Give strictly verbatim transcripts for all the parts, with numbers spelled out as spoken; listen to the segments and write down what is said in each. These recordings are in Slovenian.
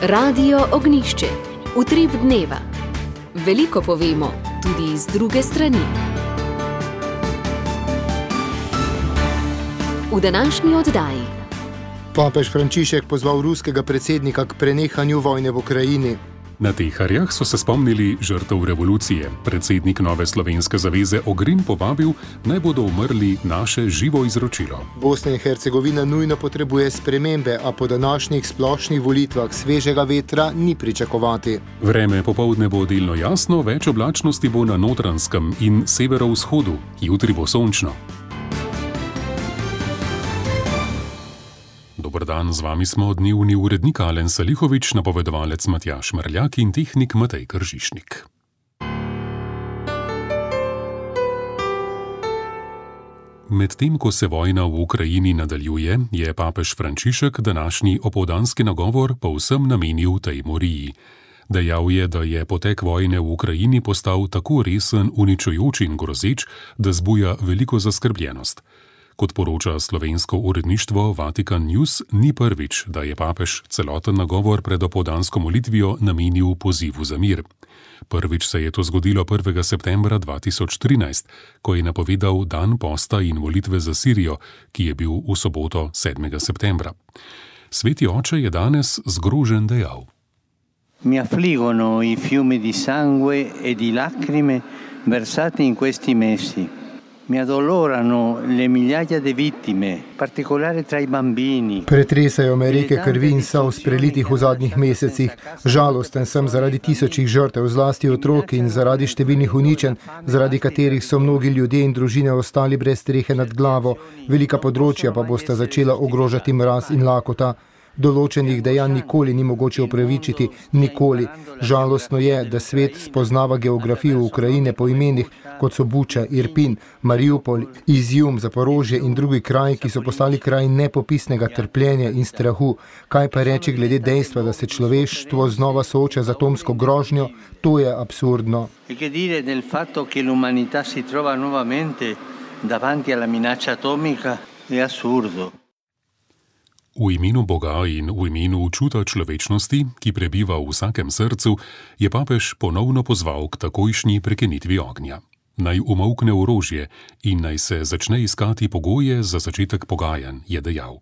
Radio Ognišče, utrip dneva. Veliko povemo, tudi iz druge strani. V današnji oddaji. Papež Frančišek pozval ruskega predsednika k prenehanju vojne v Ukrajini. Na Teharjah so se spomnili žrtev revolucije. Predsednik Nove slovenske zaveze Ogrin povabil, naj bodo umrli naše živo izročilo. Bosna in Hercegovina nujno potrebuje spremembe, a po današnjih splošnih volitvah svežega vetra ni pričakovati. Vreme popoldne bo delno jasno, več oblačnosti bo na Notranjskem in severovzhodu. Jutri bo sončno. Dobar dan, z vami smo dnevni urednik Alen Salihovič, napovedovalec Matjaž Mrljak in tehnik Matej Kržišnik. Medtem ko se vojna v Ukrajini nadaljuje, je papež Frančišek današnji opoldanski nagovor povsem namenil tej moriji. Dejal je, da je potek vojne v Ukrajini postal tako resen, uničujoč in grozeč, da zbuja veliko zaskrbljenost. Kot poroča slovensko uredništvo Vatikan News, ni prvič, da je papež celoten nagovor pred opoldansko molitvijo namenil pozivu za mir. Prvič se je to zgodilo prvega septembra dva tisoč trinajst, ko je napovedal dan posta in molitve za Sirijo, ki je bil v soboto sedmega septembra. Sveti oče je danes zgrožen dejal: Mi affliggono i fiumi di sangue e di lacrime versati in questi mesi. Mi addolorano le migliaia di vittime, particolare tra i bambini. Pretresajo me reke krvi in solz prelitih v zadnjih mesecih. Žalosten sem zaradi tisočih žrtev, zlasti otrok, in zaradi številnih uničenj, zaradi katerih so mnogi ljudje in družine ostali brez strehe nad glavo. Velika področja pa bosta začela ogrožati mraz in lakota. Določenih dejanj nikoli ni mogoče opravičiti, nikoli. Žalostno je, da svet spoznava geografijo Ukrajine po imenih, kot so Buča, Irpin, Mariupol, Izjum, Zaporožje in drugi kraji, ki so postali kraj nepopisnega trpljenja in strahu. Kaj pa reči glede dejstva, da se človeštvo znova sooča z atomsko grožnjo? To je absurdno. E che dire del fatto che l'umanità si trova nuovamente davanti alla minaccia atomica è assurdo. V imenu Boga in v imenu čuta človečnosti, ki prebiva v vsakem srcu, je papež ponovno pozval k takojšnji prekinitvi ognja. Naj umolkne orožje in naj se začne iskati pogoje za začetek pogajanj, je dejal.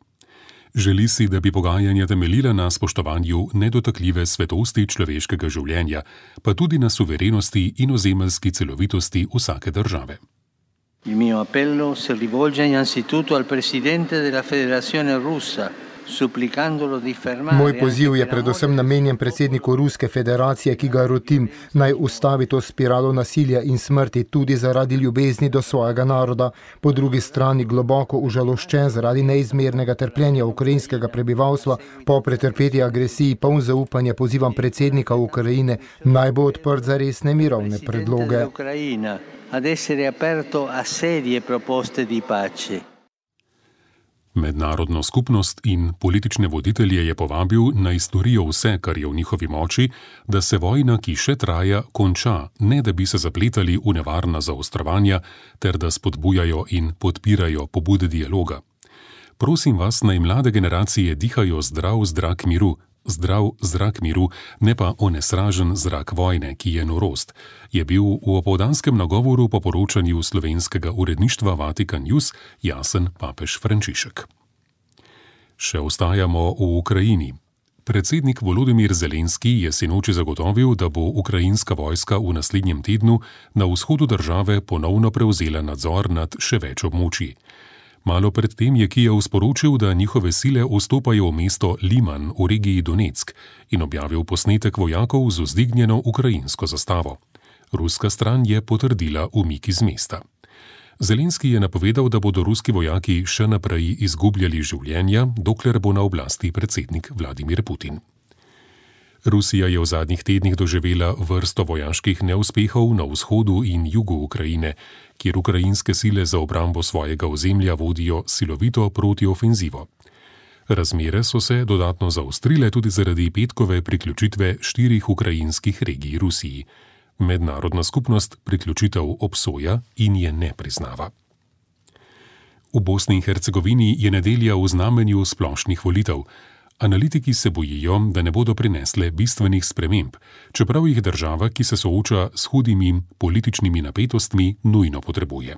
Želi si, da bi pogajanja temeljila na spoštovanju nedotakljive svetosti človeškega življenja, pa tudi na suverenosti in ozemeljski celovitosti vsake države. Il mio appello si rivolge innanzitutto al presidente della Federazione Russa, supplicandolo di fermare. Moj poziv je predvsem namenjen predsedniku Ruske federacije, ki ga rotim, naj ustavi to spiralo nasilja in smrti tudi zaradi ljubezni do svojega naroda. Po drugi strani globoko užaloščen zaradi neizmernega trpljenja ukrajinskega prebivalstva po pretrpeti agresiji, poln zaupanja pozivam predsednika Ukrajine, naj bo odprt za resne mirovne predloge. Ad essere aperto a serie proposte di pace. Mednarodno skupnost in politične voditelje je povabil, naj storijo vse, kar je v njihovi moči, da se vojna, ki še traja, konča, ne da bi se zapletali v nevarna zaostrovanja, ter da spodbujajo in podpirajo pobude dialoga. Prosim vas, naj mlade generacije dihajo zdrav zrak miru, zdrav zrak miru, ne pa onesražen zrak vojne, ki je norost, je bil v opoldanskem nagovoru po poročanju slovenskega uredništva Vatikan News jasen papež Frančišek. Še ostajamo v Ukrajini. Predsednik Volodimir Zelenski je sinoči zagotovil, da bo ukrajinska vojska v naslednjem tednu na vzhodu države ponovno prevzela nadzor nad še več območij. Malo predtem je Kijev sporočil, da njihove sile vstopajo v mesto Liman v regiji Donetsk in objavil posnetek vojakov z vzdignjeno ukrajinsko zastavo. Ruska stran je potrdila umik iz mesta. Zelenski je napovedal, da bodo ruski vojaki še naprej izgubljali življenja, dokler bo na oblasti predsednik Vladimir Putin. Rusija je v zadnjih tednih doživela vrsto vojaških neuspehov na vzhodu in jugu Ukrajine, kjer ukrajinske sile za obrambo svojega ozemlja vodijo silovito protiofenzivo. Razmere so se dodatno zaostrile tudi zaradi petkove priključitve štirih ukrajinskih regij Rusiji. Mednarodna skupnost priključitev obsoja in je ne priznava. V Bosni in Hercegovini je nedelja v znamenju splošnih volitev. Analitiki se bojijo, da ne bodo prinesle bistvenih sprememb, čeprav jih država, ki se sooča s hudimi političnimi napetostmi, nujno potrebuje.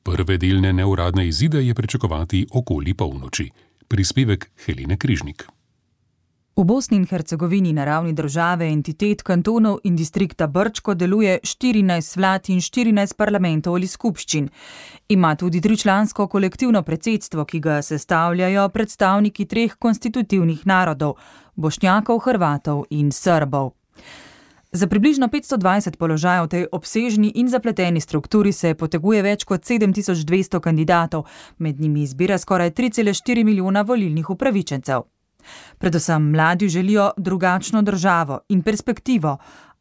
Prve delne neuradne izide je pričakovati okoli polnoči. Prispevek Helene Križnik. V Bosni in Hercegovini na ravni države, entitet, kantonov in distrikta Brčko deluje štirinajst vlad in štirinajst parlamentov ali skupščin. Ima tudi tričlansko kolektivno predsedstvo, ki ga sestavljajo predstavniki treh konstitutivnih narodov, Bošnjakov, Hrvatov in Srbov. Za približno petsto dvajset položajev v tej obsežni in zapleteni strukturi se poteguje več kot sedem tisoč dvesto kandidatov, med njimi izbira skoraj tri cele štiri milijona volilnih upravičencev. Predvsem mladi želijo drugačno državo in perspektivo,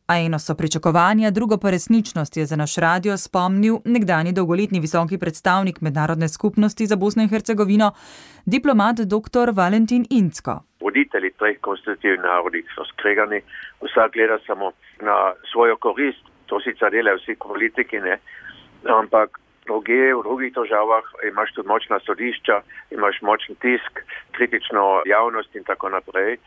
a eno so pričakovanja, drugo pa resničnost, je za naš radio spomnil nekdanji dolgoletni visoki predstavnik mednarodne skupnosti za Bosno in Hercegovino, diplomat dr. Valentin Incko. Voditelji treh konstitutivnih narodov so skregani, vsak gleda samo na svojo korist, to sicer delajo vsi politiki, ne, ampak druge, v drugih državah imaš tudi močna sodišča, imaš močen tisk, kritično javnost in tako naprej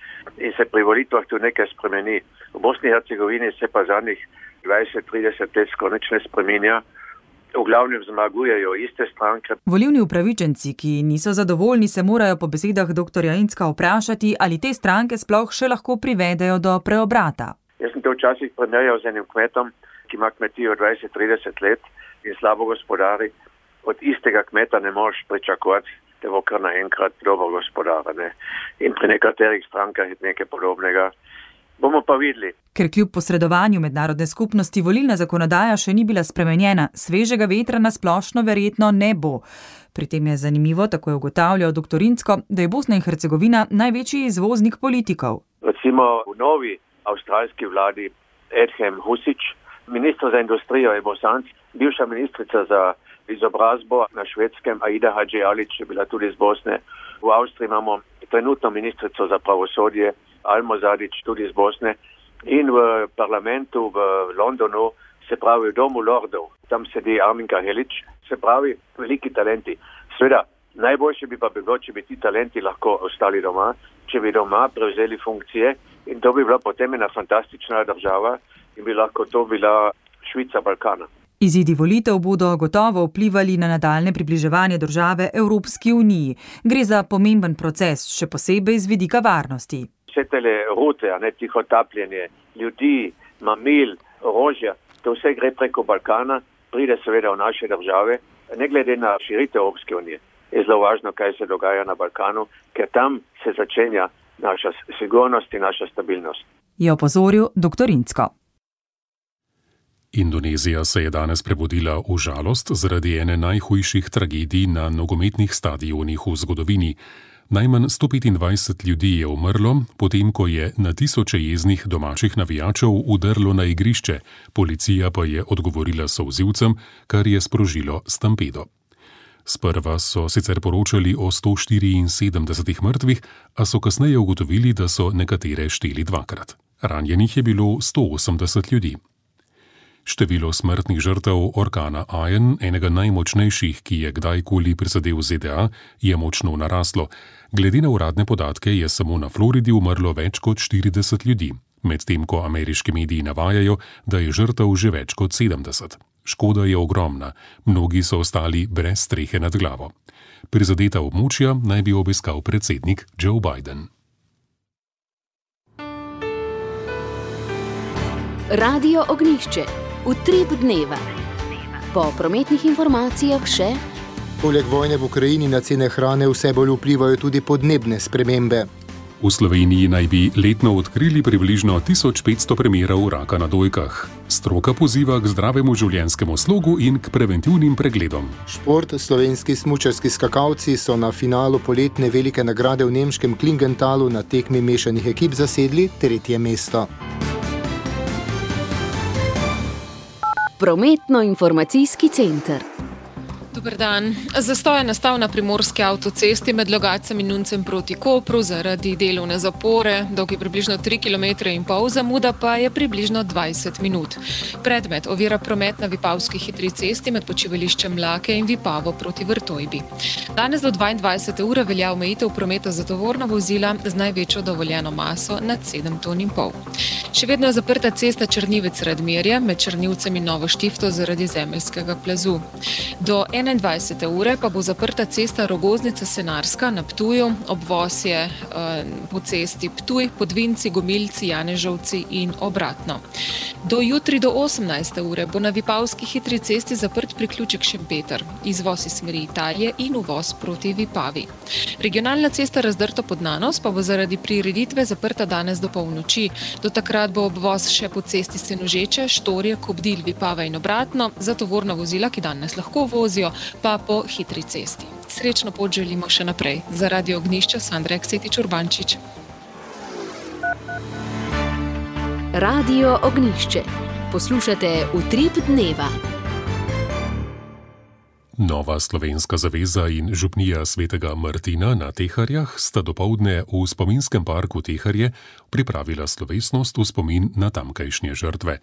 in se pri volitvah tudi nekaj spremeni. V Bosni in Hercegovini se pa zadnjih dvajset trideset let skoraj nič ne spreminja. V glavnem zmagujejo iste stranke. Volilni upravičenci, ki niso zadovoljni, se morajo po besedah dr. Incka vprašati, ali te stranke sploh še lahko privedejo do preobrata. Jaz sem to včasih primerjal z enim kmetom, ki ima kmetijo dvajset trideset let in slabo gospodari. Od istega kmeta ne moreš pričakovati, da bo kar naenkrat dobro gospodar. Ne? In pri nekaterih strankah je nekaj podobnega. Bomo pa videli. Ker kljub posredovanju mednarodne skupnosti volilna zakonodaja še ni bila spremenjena, svežega vetra na splošno verjetno ne bo. Pri tem je zanimivo, tako je ugotavljal dr. Incko, da je Bosna in Hercegovina največji izvoznik politikov. Recimo v novi avstralski vladi Edhem Husić, ministr za industrijo je Bosanc, bivša ministrica za izobrazbo na Švedskem Aida Hadžialić je bila tudi iz Bosne. V Avstriji imamo trenutno ministrico za pravosodje Almo Zadić tudi iz Bosne in v parlamentu v Londonu, se pravi v domu lordov, tam sedi Arminka Helić, se pravi veliki talenti. Seveda, najboljše bi pa bilo, če bi ti talenti lahko ostali doma, če bi doma prevzeli funkcije in to bi bila potem ena fantastična država in bi lahko to bila Švica Balkana. Izidi volitev bodo gotovo vplivali na nadaljne približevanje države Evropski uniji. Gre za pomemben proces, še posebej z vidika varnosti. Vse tele rute, a ne tihotapljenje ljudi, mamil, orožja, to vse gre preko Balkana, pride seveda v naše države, ne glede na širitev Evropske unije. Je zelo važno, kaj se dogaja na Balkanu, ker tam se začenja naša sigurnost in naša stabilnost. Je opozoril dr. Incko. Indonezija se je danes prebudila v žalost zaradi ene najhujših tragedij na nogometnih stadionih v zgodovini. Najmanj sto petindvajset ljudi je umrlo, potem ko je na tisoče jeznih domačih navijačev udrlo na igrišče, policija pa je odgovorila solzivcem, kar je sprožilo stampedo. Sprva so sicer poročali o sto štiriinsedemdesetih mrtvih, a so kasneje ugotovili, da so nekatere šteli dvakrat. Ranjenih je bilo sto osemdeset ljudi. Število smrtnih žrtev orkana Ian, enega najmočnejših, ki je kdajkoli prizadel Z D A, je močno naraslo. Glede na uradne podatke je samo na Floridi umrlo več kot štirideset ljudi, medtem ko ameriški mediji navajajo, da je žrtev že več kot sedemdeset. Škoda je ogromna, mnogi so ostali brez strehe nad glavo. Prizadeta območja naj bi obiskal predsednik Joe Biden. Radio Ognjišče. Utrip dneva. Po prometnih informacijah še. Poleg vojne v Ukrajini na cene hrane vse bolj vplivajo tudi podnebne spremembe. V Sloveniji naj bi letno odkrili približno tisoč petsto primerov raka na dojkah. Stroka poziva k zdravemu življenjskemu slogu in k preventivnim pregledom. Šport. Slovenski smučarski skakalci so na finalu poletne velike nagrade v nemškem Klingentalu na tekmi mešanih ekip zasedli tretje mesto. Prometno-informacijski center. Dober dan. Zastoj je nastal na primorski avtocesti med Logatcem in Nuncem proti Kopru zaradi delovne zapore, dolg je približno tri kilometre in pol, zamuda pa je približno dvajset minut. Predmet ovira promet na Vipavski hitri cesti med počivališčem Mlake in Vipavo proti Vrtojbi. Danes do dvaindvajsete ure velja omejitev prometa za tovorna vozila z največjo dovoljeno maso nad sedem ton in pol. Še vedno je zaprta cesta Črnivec-Radmirje med Črnivcem in Novo Štifto zaradi zemeljskega plazu. Do enaindvajsete ure pa bo zaprta cesta Rogoznica-Senarska na Ptuju, obvoz je uh, po cesti Ptuj, Podvinci, Gomilci, Janežovci in obratno. Do jutri do osemnajste ure bo na Vipavski hitri cesti zaprt priključek Šempeter, izvoz iz smeri Italije in uvoz proti Vipavi. Regionalna cesta Razdrto pod Nanos pa bo zaradi prireditve zaprta danes do polnoči. Do takrat bo obvoz še po cesti Senožeče, Štorje, Kobdil, Vipava in obratno, za tovorna vozila, ki danes lahko vozijo, pa po hitri cesti. Srečno pot želimo še naprej. Za Radio Ognjišče Sandra Eksetič-Urbančič. Radio Ognjišče. Poslušate Utrip dneva. Nova slovenska zaveza in župnija Svetega Martina na Teharjah sta dopoldne v spominskem parku Teharje pripravila slovesnost v spomin na tamkajšnje žrtve.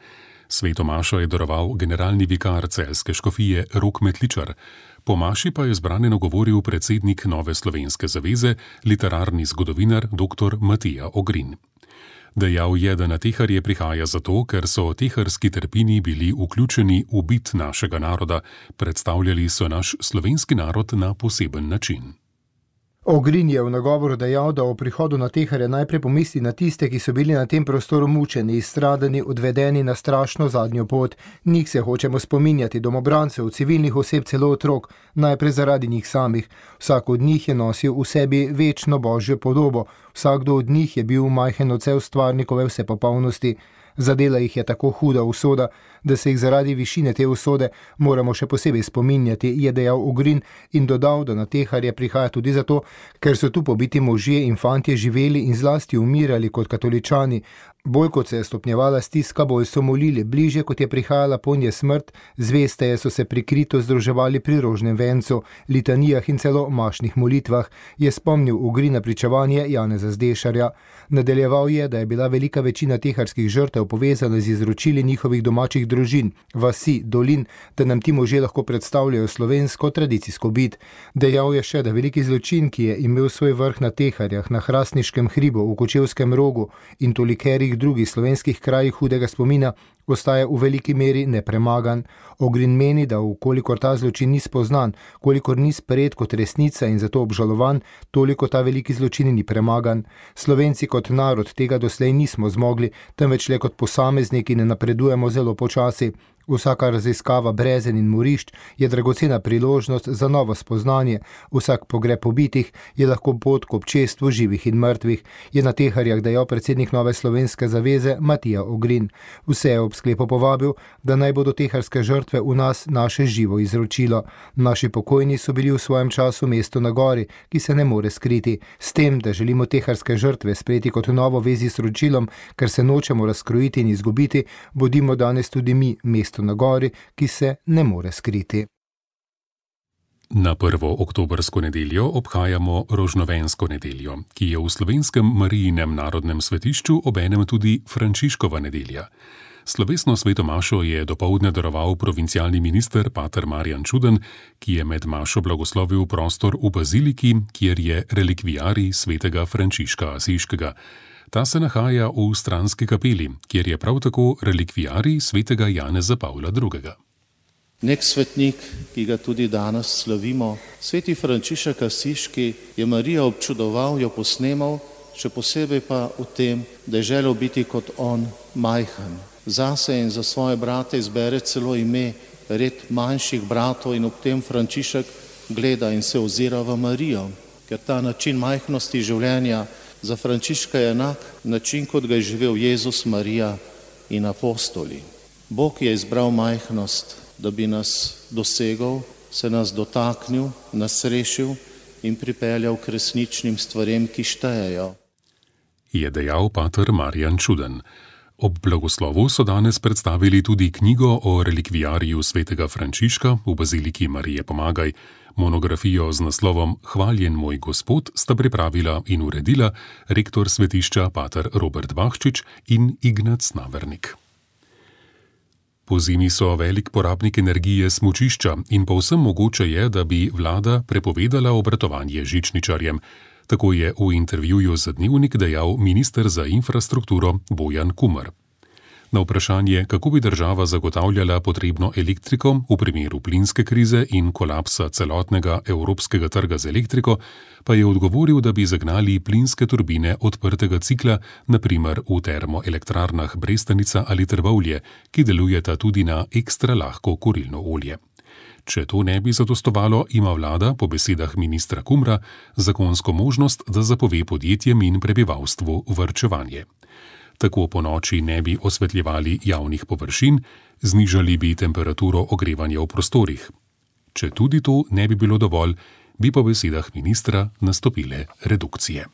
Sveto mašo je daroval generalni vikar celjske škofije Rok Metličar. Po maši pa je zbrane nagovoril predsednik Nove slovenske zaveze, literarni zgodovinar dr. Matija Ogrin. Dejal je, da na Teharje prihaja zato, ker so teharski trpini bili vključeni v bit našega naroda, predstavljali so naš slovenski narod na poseben način. Ogrin je v nagovoru dejal, da o prihodu na Teharje najprej pomisli na tiste, ki so bili na tem prostoru mučeni, izstradani, odvedeni na strašno zadnjo pot. Njih se hočemo spominjati, domobrancev, civilnih oseb, celo otrok, najprej zaradi njih samih. Vsak od njih je nosil v sebi večno božjo podobo, vsakdo od njih je bil majhen odsev stvarnikove vsepopolnosti. Zadela jih je tako huda usoda, da se jih zaradi višine te usode moramo še posebej spominjati, je dejal Ogrin in dodal, da na Teharje prihaja tudi zato, ker so tu pobiti možje in fantje živeli in zlasti umirali kot katoličani. Bolj kot se je stopnjevala stiska, bolj so molili, bliže kot je prihajala ponje smrt, zvesteje so se prikrito združevali pri rožnem vencu, litanijah in celo mašnih molitvah, je spomnil Ogrin na pričevanje Janeza Zdešarja. Nadaljeval je, da je bila velika večina teharskih žrtev povezana z izročili njihovih domačih družin, vasi, dolin, da nam ti možje lahko predstavljajo slovensko tradicijsko bit. Dejal je še, da veliki zločin, ki je imel svoj vrh na Teharjah, na Hrastniškem hribu, v Kočevskem rogu in tolikerih drugih slovenskih krajih hudega spomina, ostaja v veliki meri nepremagan. Ogrin meni, da ukolikor ta zločin ni spoznan, kolikor ni sprejet kot resnica in zato obžalovan, toliko ta veliki zločin ni premagan. Slovenci kot narod tega doslej nismo zmogli, temveč le kot posamezniki ne napredujemo zelo počasi. Vsaka raziskava brezen in morišč je dragocena priložnost za novo spoznanje, vsak pogreb pobitih je lahko pot k občestvu živih in mrtvih, je na Teharjah dejal predsednik Nove slovenske zaveze Matija Ogrin. Vse je ob sklepu povabil, da naj bodo teharske žrtve v nas naše živo izročilo. Naši pokojni so bili v svojem času mesto na gori, ki se ne more skriti. S tem, da želimo teharske žrtve sprejeti kot novo vezi s ročilom, ker se nočemo razkrojiti in izgubiti, bodimo danes tudi mi mesto na gori, ki se ne more skriti. Na prvo oktobrsko nedeljo obhajamo Rožnovensko nedeljo, ki je v slovenskem Marijinem narodnem svetišču obenem tudi Frančiškova nedelja. Slovesno sveto mašo je dopoldne daroval provincialni minister pater Marjan Čuden, ki je med mašo blagoslovil prostor v baziliki, kjer je relikviarij svetega Frančiška Asiškega. Ta se nahaja v stranski kapeli, kjer je prav tako relikviarij svetega Janeza Pavla drugega. Nek svetnik, ki ga tudi danes slavimo, sveti Frančišek Asiški, je Marijo občudoval, jo posnemal, še posebej pa v tem, da je želel biti kot on majhen. Zase in za svoje brate izbere celo ime, red manjših bratov in ob tem Frančišek gleda in se ozira v Marijo, ker ta način majhnosti življenja za Frančiška je enak način, kot ga je živel Jezus, Marija in apostoli. Bog je izbral majhnost, da bi nas dosegal, se nas dotaknil, nas rešil in pripeljal k resničnim stvarem, ki štejejo. Je dejal pater Marjan Čuden. Ob blagoslovu so danes predstavili tudi knjigo o relikvijariju svetega Frančiška v baziliki Marije Pomagaj. Monografijo z naslovom Hvaljen moj Gospod sta pripravila in uredila rektor svetišča pater Robert Bahčič in Ignac Navernik. Pozimi so velik porabnik energije smučišča in povsem mogoče je, da bi vlada prepovedala obratovanje žičničarjem. Tako je v intervjuju za Dnevnik dejal minister za infrastrukturo Bojan Kumer. Na vprašanje, kako bi država zagotavljala potrebno elektriko v primeru plinske krize in kolapsa celotnega evropskega trga z elektriko, pa je odgovoril, da bi zagnali plinske turbine odprtega cikla, na primer v termoelektrarnah Brestanica ali Trbovlje, ki delujeta tudi na ekstra lahko kurilno olje. Če to ne bi zadostovalo, ima vlada, po besedah ministra Kumra, zakonsko možnost, da zapove podjetjem in prebivalstvu varčevanje. Tako po noči ne bi osvetljevali javnih površin, znižali bi temperaturo ogrevanja v prostorih. Če tudi to ne bi bilo dovolj, bi po besedah ministra nastopile redukcije.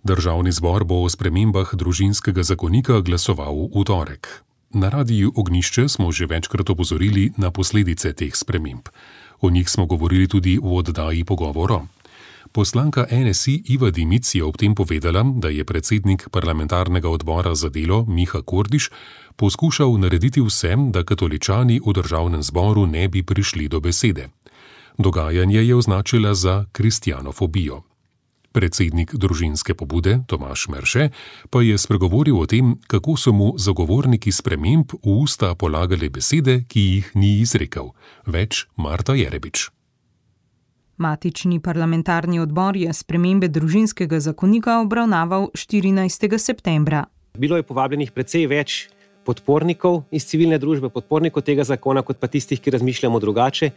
Državni zbor bo o spremembah družinskega zakonika glasoval v torek. Na radiju Ognjišče smo že večkrat opozorili na posledice teh sprememb. O njih smo govorili tudi v oddaji Pogovoro. Poslanka N S I Iva Dimic je ob tem povedala, da je predsednik parlamentarnega odbora za delo Miha Kordiš poskušal narediti vse, da katoličani v državnem zboru ne bi prišli do besede. Dogajanje je označila za kristjanofobijo. Predsednik družinske pobude Tomaž Merše pa je spregovoril o tem, kako so mu zagovorniki sprememb v usta polagali besede, ki jih ni izrekel. Več Marta Jerebič. Matični parlamentarni odbor je spremembe družinskega zakonika obravnaval štirinajstega septembra. Bilo je povabljenih precej več podpornikov iz civilne družbe, podpornikov tega zakona, kot pa tistih, ki razmišljamo drugače.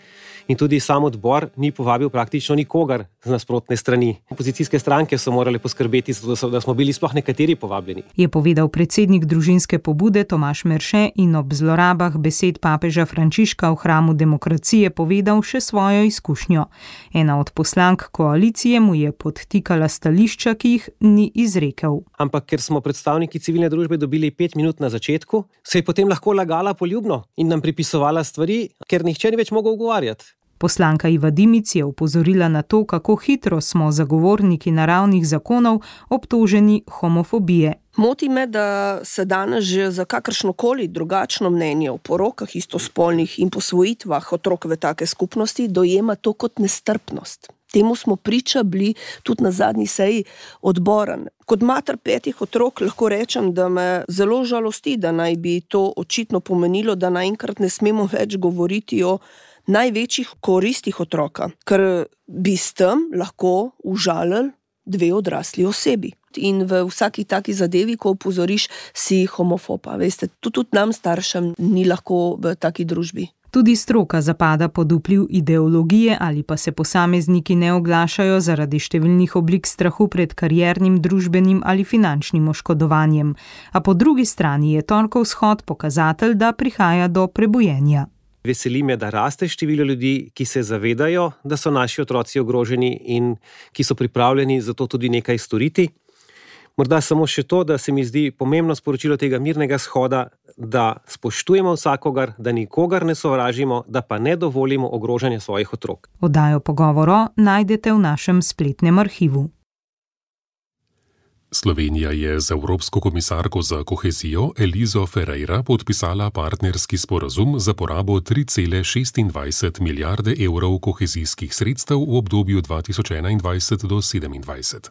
In tudi sam odbor ni povabil praktično nikogar z nasprotne strani. Opozicijske stranke so morale poskrbeti, da smo bili sploh nekateri povabljeni. Je povedal predsednik družinske pobude Tomaž Merše in ob zlorabah besed papeža Frančiška v hramu demokracije povedal še svojo izkušnjo. Ena od poslank koalicije mu je podtikala stališča, ki jih ni izrekel. Ampak ker smo predstavniki civilne družbe dobili pet minut na začetku, se je potem lahko lagala poljubno in nam pripisovala stvari, ker nihče ni več mogel ugovarjati. Poslanka Iva Dimic je upozorila na to, kako hitro smo zagovorniki naravnih zakonov obtoženi homofobije. Moti me, da se danes že za kakršnokoli drugačno mnenje o porokah istospolnih in posvojitvah otrok v take skupnosti dojema to kot nestrpnost. Temu smo priča bili tudi na zadnji seji odbora. Kot mater petih otrok lahko rečem, da me zelo žalosti, da naj bi to očitno pomenilo, da naenkrat ne smemo več govoriti o največjih koristih otroka, ker bi s tem lahko užalili dve odrasli osebi. In v vsaki taki zadevi, ko opozoriš, si homofoba. Veste, tudi nam staršem ni lahko v taki družbi. Tudi stroka zapada pod vpliv ideologije ali pa se posamezniki ne oglašajo zaradi številnih oblik strahu pred kariernim, družbenim ali finančnim oškodovanjem. A po drugi strani je torkov shod pokazatelj, da prihaja do prebujenja. Veseli me, da raste število ljudi, ki se zavedajo, da so naši otroci ogroženi in ki so pripravljeni za to tudi nekaj storiti. Morda samo še to, da se mi zdi pomembno sporočilo tega mirnega shoda, da spoštujemo vsakogar, da nikogar ne sovražimo, da pa ne dovolimo ogrožanja svojih otrok. Oddajo Pogovoro najdete v našem spletnem arhivu. Slovenija je z Evropsko komisarko za kohezijo Elizo Ferreira podpisala partnerski sporazum za porabo tri cele šestindvajset milijarde evrov kohezijskih sredstev v obdobju dva tisoč enaindvajset do sedemindvajset.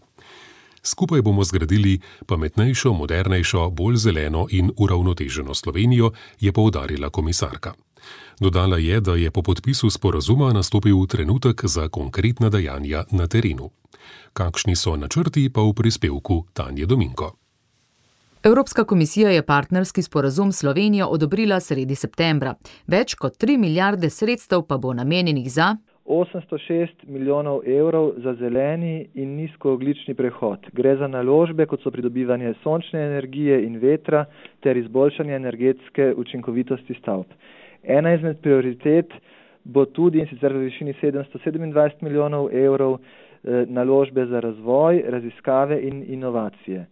Skupaj bomo zgradili pametnejšo, modernejšo, bolj zeleno in uravnoteženo Slovenijo, je poudarila komisarka. Dodala je, da je po podpisu sporazuma nastopil trenutek za konkretna dejanja na terenu. Kakšni so načrti, pa v prispevku Tanje Dominko. Evropska komisija je partnerski sporazum Slovenijo odobrila sredi septembra. Več kot tri milijarde sredstev pa bo namenjenih za osemsto šest milijonov evrov za zeleni in nizkoogljični prehod. Gre za naložbe, kot so pridobivanje sončne energije in vetra ter izboljšanje energetske učinkovitosti stavb. Ena izmed prioritet bo tudi, in sicer v višini sedemsto sedemindvajset milijonov evrov, naložbe za razvoj, raziskave in inovacije.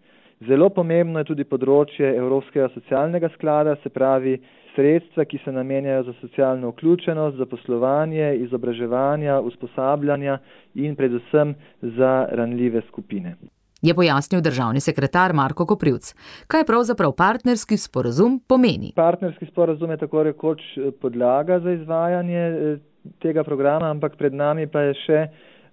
Zelo pomembno je tudi področje Evropskega socialnega sklada, se pravi sredstva, ki se namenjajo za socialno vključenost, za poslovanje, izobraževanja, usposabljanja in predvsem za ranljive skupine. Je pojasnil državni sekretar Marko Koprivc. Kaj pravzaprav partnerski sporazum pomeni? Partnerski sporazum je tako rekoč podlaga za izvajanje tega programa, ampak pred nami pa je še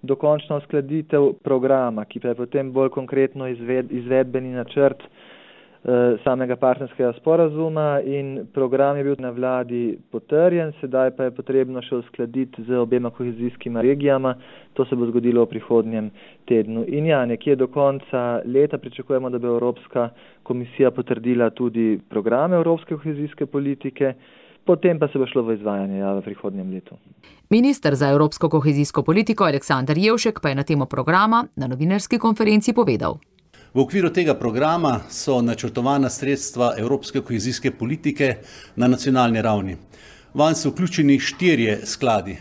dokončna uskladitev programa, ki pa je potem bolj konkretno izved, izvedbeni načrt eh, samega partnerskega sporazuma, in program je bil na vladi potrjen, sedaj pa je potrebno še uskladiti z obema kohezijskima regijama. To se bo zgodilo v prihodnjem tednu. In ja, nekje do konca leta pričakujemo, da bo Evropska komisija potrdila tudi program Evropske kohezijske politike, potem pa se bo šlo v izvajanje ja, v prihodnjem letu. Minister za evropsko kohezijsko politiko Aleksander Jevšek pa je na temo programa na novinarski konferenci povedal. V okviru tega programa so načrtovana sredstva evropske kohezijske politike na nacionalni ravni. Vanj so vključeni štirje skladi.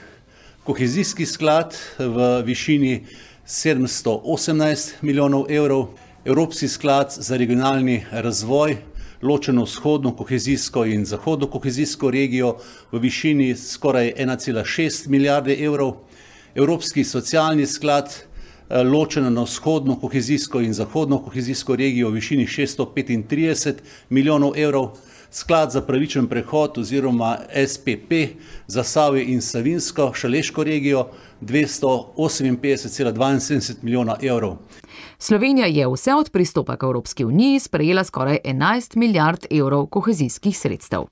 Kohezijski sklad v višini sedemsto osemnajst milijonov evrov, Evropski sklad za regionalni razvoj, ločeno vzhodno kohezijsko in zahodno kohezijsko regijo v višini skoraj ena cela šest milijarde evrov, Evropski socialni sklad ločeno na vzhodno kohezijsko in zahodno kohezijsko regijo v višini šeststo petintrideset milijonov evrov, sklad za pravičen prehod oziroma S P P za Zasavje in Savinjsko Šaleško regijo dvesto oseminpetdeset cela dvainsedemdeset milijona evrov. Slovenija je vse od pristopa k Evropski uniji sprejela skoraj enajst milijard evrov kohezijskih sredstev.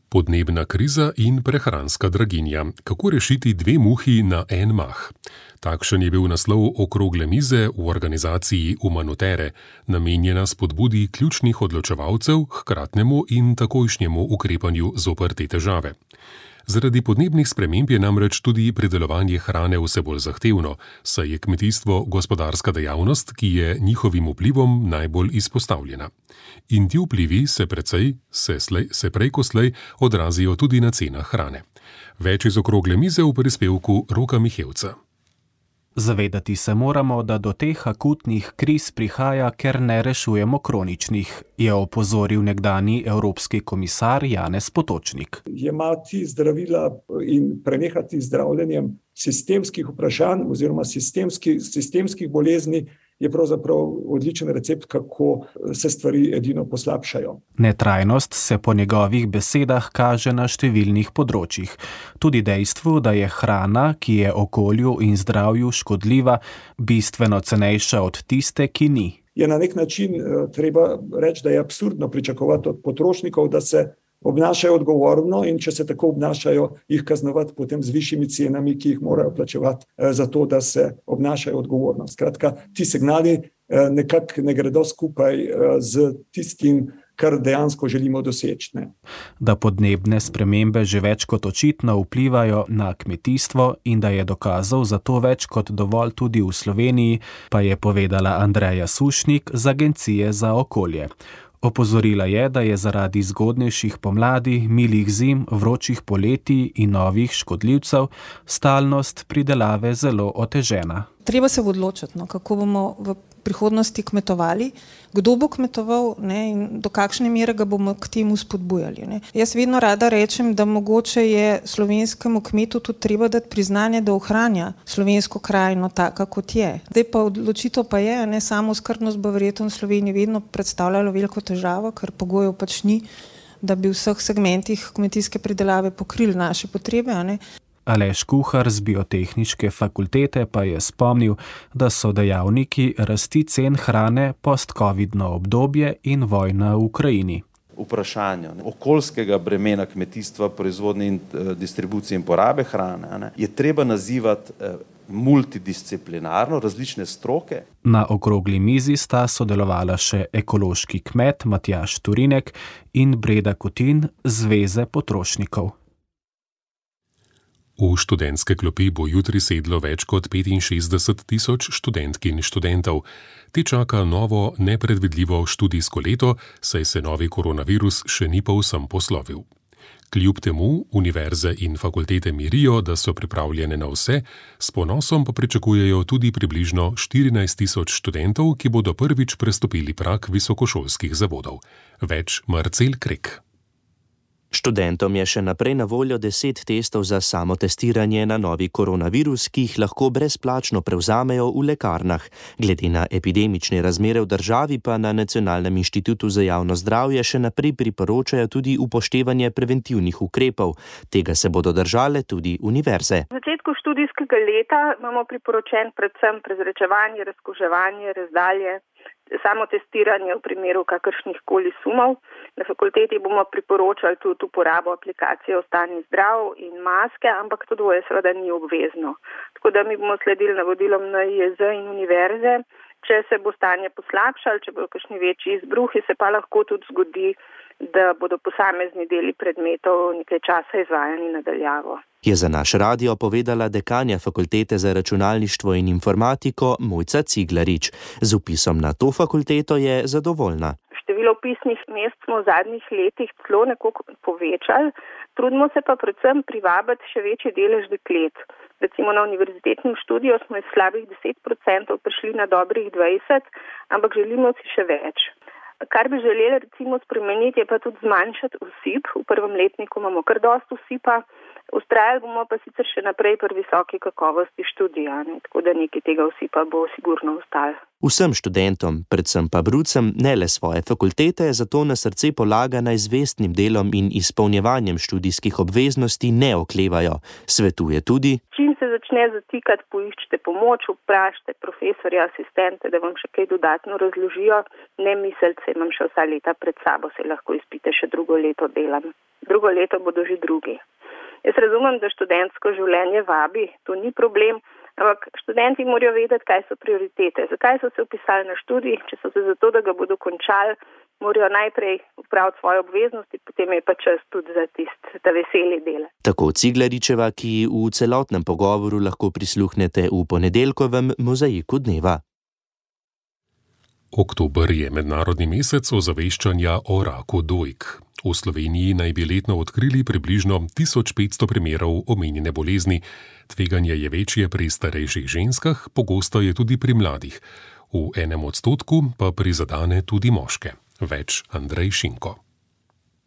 Podnebna kriza in prehranska draginja. Kako rešiti dve muhi na en mah? Takšen je bil naslov okrogle mize v organizaciji Umanotere, namenjena spodbudi ključnih odločevalcev k hkratnemu in takojšnjemu ukrepanju zoper te težave. Zaradi podnebnih sprememb je namreč tudi pridelovanje hrane vse bolj zahtevno, saj je kmetijstvo gospodarska dejavnost, ki je njihovim vplivom najbolj izpostavljena. In ti vplivi se precej, se, slej, se prej ko slej odrazijo tudi na cenah hrane. Več iz okrogle mize v prispevku Roka Mihevca. Zavedati se moramo, da do teh akutnih kriz prihaja, ker ne rešujemo kroničnih, je opozoril nekdanji evropski komisar Janez Potočnik. Jemati zdravila in prenehati zdravljenjem sistemskih vprašanj oziroma sistemskih, sistemskih bolezni je pravzaprav odličen recept, kako se stvari edino poslabšajo. Netrajnost se po njegovih besedah kaže na številnih področjih. Tudi dejstvu, da je hrana, ki je okolju in zdravju škodljiva, bistveno cenejša od tiste, ki ni. Je na nek način treba reči, da je absurdno pričakovati od potrošnikov, da se obnašajo odgovorno, in če se tako obnašajo, jih kaznovati potem z višjimi cenami, ki jih morajo plačevati za to, da se obnašajo odgovorno. Skratka, ti signali nekako ne gredo skupaj z tistim, kar dejansko želimo doseči. Ne? Da podnebne spremembe že več kot očitno vplivajo na kmetijstvo in da je dokazov za to več kot dovolj tudi v Sloveniji, pa je povedala Andreja Sušnik z Agencije za okolje. Opozorila je, da je zaradi zgodnejših pomladi, milih zim, vročih poletij in novih škodljivcev stalnost pridelave zelo otežena. Treba se odločiti, no, kako bomo v prihodnosti kmetovali, kdo bo kmetoval, ne, in do kakšne mere ga bomo k temu spodbujali. Ne. Jaz vedno rada rečem, da mogoče je slovenskemu kmetu tudi treba dati priznanje, da ohranja slovensko krajino taka, kot je. Zdaj pa odločitev pa je, ne, samo skrbnost bo verjetno v Sloveniji vedno predstavljalo veliko težavo, ker pogojev pač ni, da bi v vseh segmentih kmetijske pridelave pokrili naše potrebe, a ne. Aleš Kuhar z biotehniške fakultete pa je spomnil, da so dejavniki rasti cen hrane post-covidno obdobje in vojna v Ukrajini. Vprašanje okoljskega bremena kmetijstva, proizvodnje in distribucije in porabe hrane ne, je treba nazivati multidisciplinarno, različne stroke. Na okrogli mizi sta sodelovala še ekološki kmet Matjaž Turinek in Breda Kutin z Zveze potrošnikov. V študentske klopi bo jutri sedlo več kot petinšestdeset tisoč študentk in študentov. Ti čaka novo, nepredvidljivo študijsko leto, saj se novi koronavirus še ni povsem poslovil. Kljub temu univerze in fakultete mirijo, da so pripravljene na vse, s ponosom pa pričakujejo tudi približno štirinajst tisoč študentov, ki bodo prvič prestopili prag visokošolskih zavodov. Več Marcel Krek. Študentom je še naprej na voljo deset testov za samotestiranje na novi koronavirus, ki jih lahko brezplačno prevzamejo v lekarnah. Glede na epidemične razmere v državi pa na Nacionalnem inštitutu za javno zdravje še naprej priporočajo tudi upoštevanje preventivnih ukrepov. Tega se bodo držale tudi univerze. V začetku študijskega leta imamo priporočen predvsem prezračevanje, razkuževanje, razdalje, samotestiranje v primeru kakršnih koli sumov. Na fakulteti bomo priporočali tudi uporabo aplikacije Ostani zdrav in maske, ampak to dvoje seveda ni obvezno. Tako da mi bomo sledili navodilom N I E Z in univerze. Če se bo stanje poslabšalo, če bodo kakšni večji izbruhi, se pa lahko tudi zgodi, da bodo posamezni deli predmetov nekaj časa izvajani nadaljavo. Je za naš radio povedala dekanja Fakultete za računalništvo in informatiko Mojca Ciglarič. Z vpisom na to fakulteto je zadovoljna. Število vpisnih mest smo v zadnjih letih celo nekoliko povečali, trudimo se pa predvsem privabiti še večji delež deklet. Recimo na univerzitetnem študiju smo iz slabih deset procentov prišli na dobrih dvajset, ampak želimo si še več. Kar bi želeli recimo spremeniti, je pa tudi zmanjšati osip. V prvem letniku imamo kar dosti osipa, vztrajali bomo pa sicer še naprej pri visoki kakovosti študija, ne? Tako da nekaj tega osipa bo sigurno ostalo. Vsem študentom, predvsem pa brucem, ne le svoje fakultete, zato na srce polaga naj z vestnim delom in izpolnjevanjem študijskih obveznosti ne oklevajo. Svetuje tudi: čim se začne zatikati, poiščite pomoč, vprašajte profesorja, asistente, da vam še kaj dodatno razložijo. Ne mislite, imam še vsa leta pred sabo, se lahko izpite še drugo leto delam. Drugo leto bodo že drugi. Jaz razumem, da študentsko življenje vabi, to ni problem, ampak študenti morajo vedeti, kaj so prioritete. Zakaj so se vpisali na študij? Če so se zato, da ga bodo končali, morajo najprej upraviti svoje obveznosti, potem je pa čas tudi za tisti, ta veseli del. Tako Ciglaričeva, ki v celotnem pogovoru lahko prisluhnete v ponedeljkovem Mozaiku dneva. Oktober je mednarodni mesec ozaveščanja o raku dojk. V Sloveniji naj bi letno odkrili približno tisoč petsto primerov omenjene bolezni. Tveganje je večje pri starejših ženskah, pogosto je tudi pri mladih. V enem odstotku pa prizadene tudi moške. Več Andrej Šinko.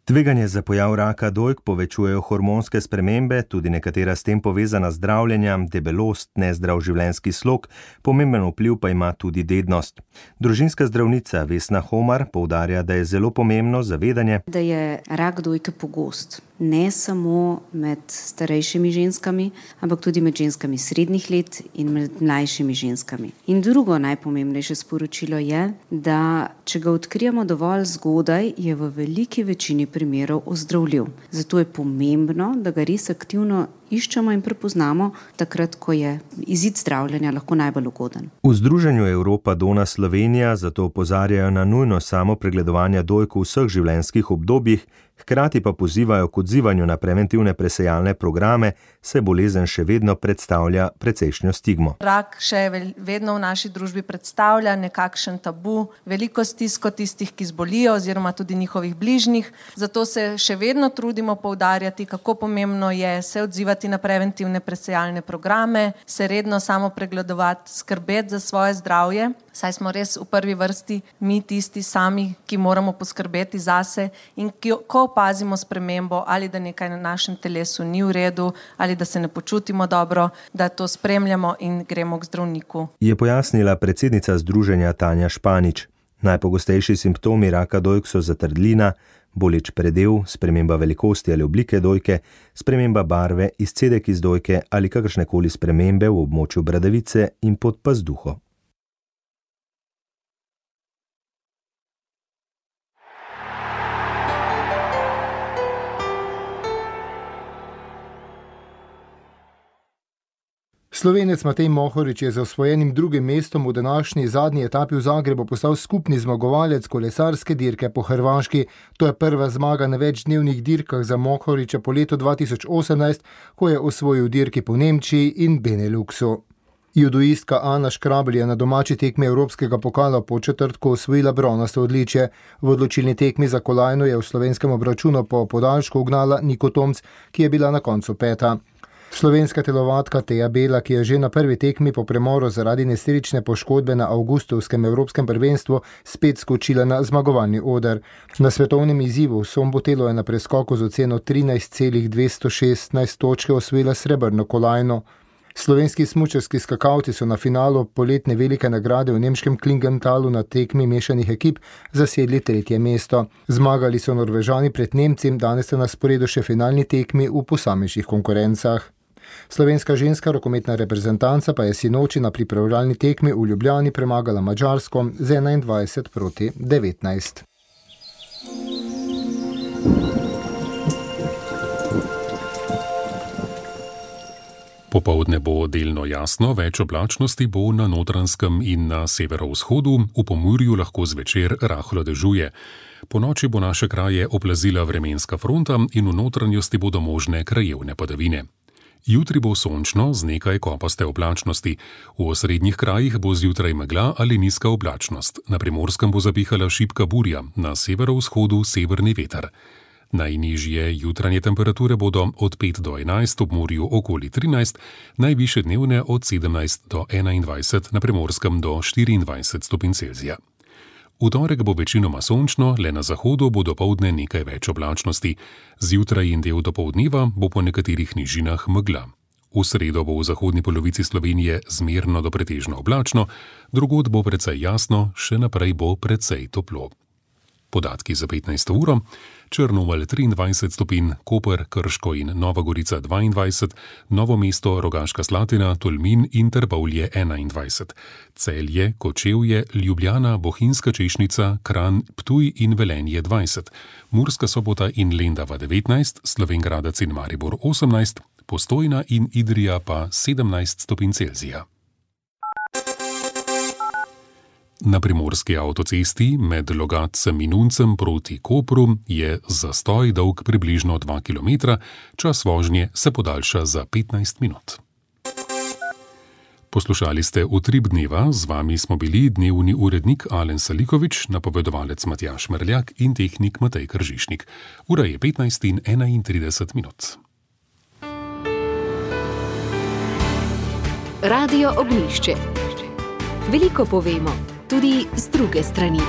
Tveganje za pojav raka dojk povečujejo hormonske spremembe, tudi nekatera s tem povezana zdravljenja, debelost, nezdrav življenjski slog, pomemben vpliv pa ima tudi dednost. Družinska zdravnica Vesna Homar poudarja, da je zelo pomembno zavedanje, da je rak dojke pogost. Ne samo med starejšimi ženskami, ampak tudi med ženskami srednjih let in med mlajšimi ženskami. In drugo najpomembnejše sporočilo je, da če ga odkrijemo dovolj zgodaj, je v veliki večini primerov ozdravljiv. Zato je pomembno, da ga res aktivno iščemo in prepoznamo takrat, ko je izid zdravljenja lahko najbolj ugoden. V Združenju Evropa Dona Slovenija zato opozarjajo na nujnost samopregledovanja dojk v vseh življenjskih obdobjih, hkrati pa pozivajo k odzivanju na preventivne presejalne programe, saj bolezen še vedno predstavlja precejšnjo stigmo. Rak še vedno v naši družbi predstavlja nekakšen tabu, veliko stisko tistih, ki zbolijo oziroma tudi njihovih bližnjih. Zato se še vedno trudimo poudarjati, kako pomembno je se odzivati na preventivne presejalne programe, se redno samo pregledovati, skrbeti za svoje zdravje, saj smo res v prvi vrsti mi tisti sami, ki moramo poskrbeti zase in ki, ko opazimo spremembo ali da nekaj na našem telesu ni v redu ali da se ne počutimo dobro, da to spremljamo in gremo k zdravniku. Je pojasnila predsednica združenja Tanja Španič. Najpogostejši simptomi raka dojk so zatrdlina, boleč predel, sprememba velikosti ali oblike dojke, sprememba barve, izcedek iz dojke ali kakršnekoli spremembe v območju bradavice in pod pazduho. Slovenec Matej Mohorič je z osvojenim drugim mestom v današnji zadnji etapi v Zagrebu postal skupni zmagovalec kolesarske dirke po Hrvaški. To je prva zmaga na večdnevnih dirkah za Mohoriča po letu dva tisoč osemnajst, ko je osvojil dirki po Nemčiji in Beneluxu. Judoistka Ana Škrabelj je na domači tekmi Evropskega pokala po četrtku osvojila bronasto odličje. V odločilni tekmi za kolajno je v slovenskem obračunu po podaljšku ugnala Niko Tomc, ki je bila na koncu peta. Slovenska telovadka Teja Bela, ki je že na prvi tekmi po premoru zaradi nesrečne poškodbe na avgustovskem evropskem prvenstvu spet skočila na zmagovalni oder. Na svetovnem izzivu v Sombotelu je na preskoku z oceno trinajst celih dvesto šestnajst točke osvojila srebrno kolajno. Slovenski smučarski skakalci so na finalu poletne velike nagrade v nemškem Klingentalu na tekmi mešanih ekip zasedli tretje mesto. Zmagali so Norvežani pred Nemci, danes sta na sporedu še finalni tekmi v posamičnih konkurencah. Slovenska ženska rokometna reprezentanca pa je sinoči na pripravljalni tekmi v Ljubljani premagala Madžarsko z enaindvajset proti devetnajst. Popoldne bo delno jasno, več oblačnosti bo na Notranjskem in na severovzhodu, v Pomurju lahko zvečer rahlo dežuje. Po noči bo naše kraje oplazila vremenska fronta in v notranjosti bodo možne krajevne padavine. Jutri bo sončno z nekaj kopaste oblačnosti. V osrednjih krajih bo zjutraj megla ali nizka oblačnost. Na Primorskem bo zapihala šibka burja, na severovzhodu severni veter. Najnižje jutranje temperature bodo od pet do enajst, ob morju okoli trinajst, najvišje dnevne od sedemnajst do enaindvajset, na Primorskem do štiriindvajset stopinj Celzija. V torek bo večinoma sončno, le na zahodu bo dopoldne nekaj več oblačnosti. Zjutraj in del dopoldneva bo po nekaterih nižinah megla. V sredo bo v zahodni polovici Slovenije zmerno do pretežno oblačno, drugod bo precej jasno, še naprej bo precej toplo. Podatki za petnajsto uro: Črnomelj triindvajset stopinj, Koper, Krško in Nova Gorica dvaindvajset, Novo mesto, Rogaška Slatina, Tolmin in Trbovlje enaindvajset, Celje, Kočevje, Ljubljana, Bohinjska Češnica, Kranj, Ptuj in Velenje dvajset, Murska Sobota in Lendava devetnajst, Slovenj Gradec in Maribor osemnajst, Postojna in Idrija pa sedemnajst stopinj Celzija. Na primorski avtocesti med Logatcem in Uncem proti Kopru je zastoj dolg približno dva kilometra, čas vožnje se podaljša za petnajst minut. Poslušali ste Utrip dneva, z vami smo bili dnevni urednik Alen Salikovič, napovedovalec Matjaž Merljak in tehnik Matej Kržišnik. Ura je petnajst in enaintrideset minut. Radio Ognjišče. Veliko povemo, tudi z druge strani.